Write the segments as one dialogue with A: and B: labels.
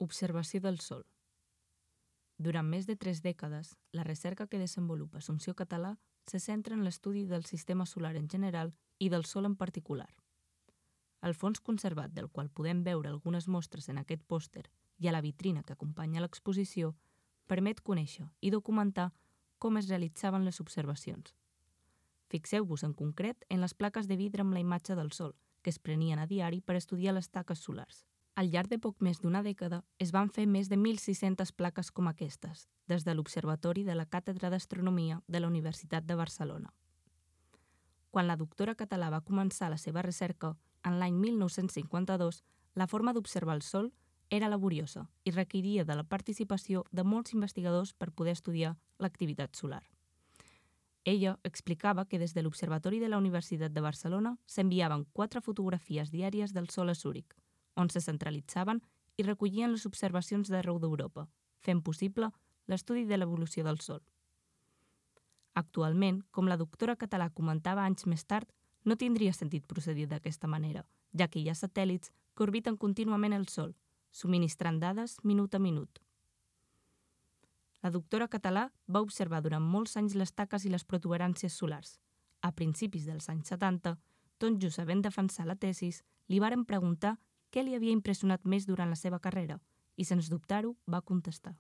A: Observació del Sol. Durant més de 3 dècades, la recerca que desenvolupa Assumpció Català se centra en l'estudi del sistema solar en general i del Sol en particular. El fons conservat, del qual podem veure algunes mostres en aquest pòster i a la vitrina que acompanya l'exposició, permet conèixer i documentar com es realitzaven les observacions. Fixeu-vos en concret en les plaques de vidre amb la imatge del Sol, que es prenien a diari per estudiar les taques solars. Al llarg de poc més d'una dècada es van fer més de 1.600 plaques com aquestes, des de l'Observatori de la Càtedra d'Astronomia de la Universitat de Barcelona. Quan la doctora Català va començar la seva recerca, en l'any 1952, la forma d'observar el Sol era laboriosa i requeria de la participació de molts investigadors per poder estudiar l'activitat solar. Ella explicava que des de l'Observatori de la Universitat de Barcelona s'enviaven 4 fotografies diàries del Sol a Zúric, on se centralitzaven i recollien les observacions d'arreu d'Europa, fent possible l'estudi de l'evolució del Sol. Actualment, com la doctora Català comentava anys més tard, no tindria sentit procedir d'aquesta manera, ja que hi ha satèl·lits que orbiten contínuament el Sol, subministrant dades minut a minut. La doctora Català va observar durant molts anys les taques i les protuberàncies solars. A principis dels anys 70, tot just havent defensat la tesis, li varen preguntar què li havia impressionat més durant la seva carrera i, sens dubtar-ho, va contestar.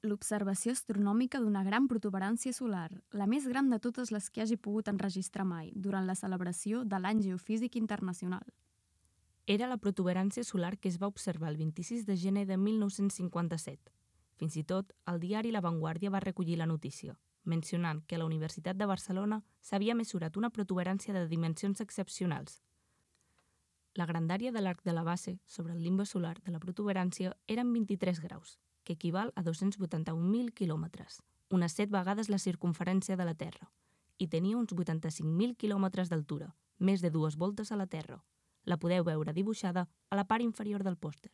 B: L'observació astronòmica d'una gran protuberància solar, la més gran de totes les que hagi pogut enregistrar mai, durant la celebració de l'Any Geofísic Internacional.
A: Era la protuberància solar que es va observar el 26 de gener de 1957. Fins i tot, el diari La Vanguardia va recollir la notícia, mencionant que a la Universitat de Barcelona s'havia mesurat una protuberància de dimensions excepcionals. La grandària de l'arc de la base sobre el limbe solar de la protuberància eren 23 graus, que equival a 281.000 quilòmetres, unes 7 vegades la circumferència de la Terra, i tenia uns 85.000 quilòmetres d'altura, més de 2 voltes a la Terra. La podeu veure dibuixada a la part inferior del pòster.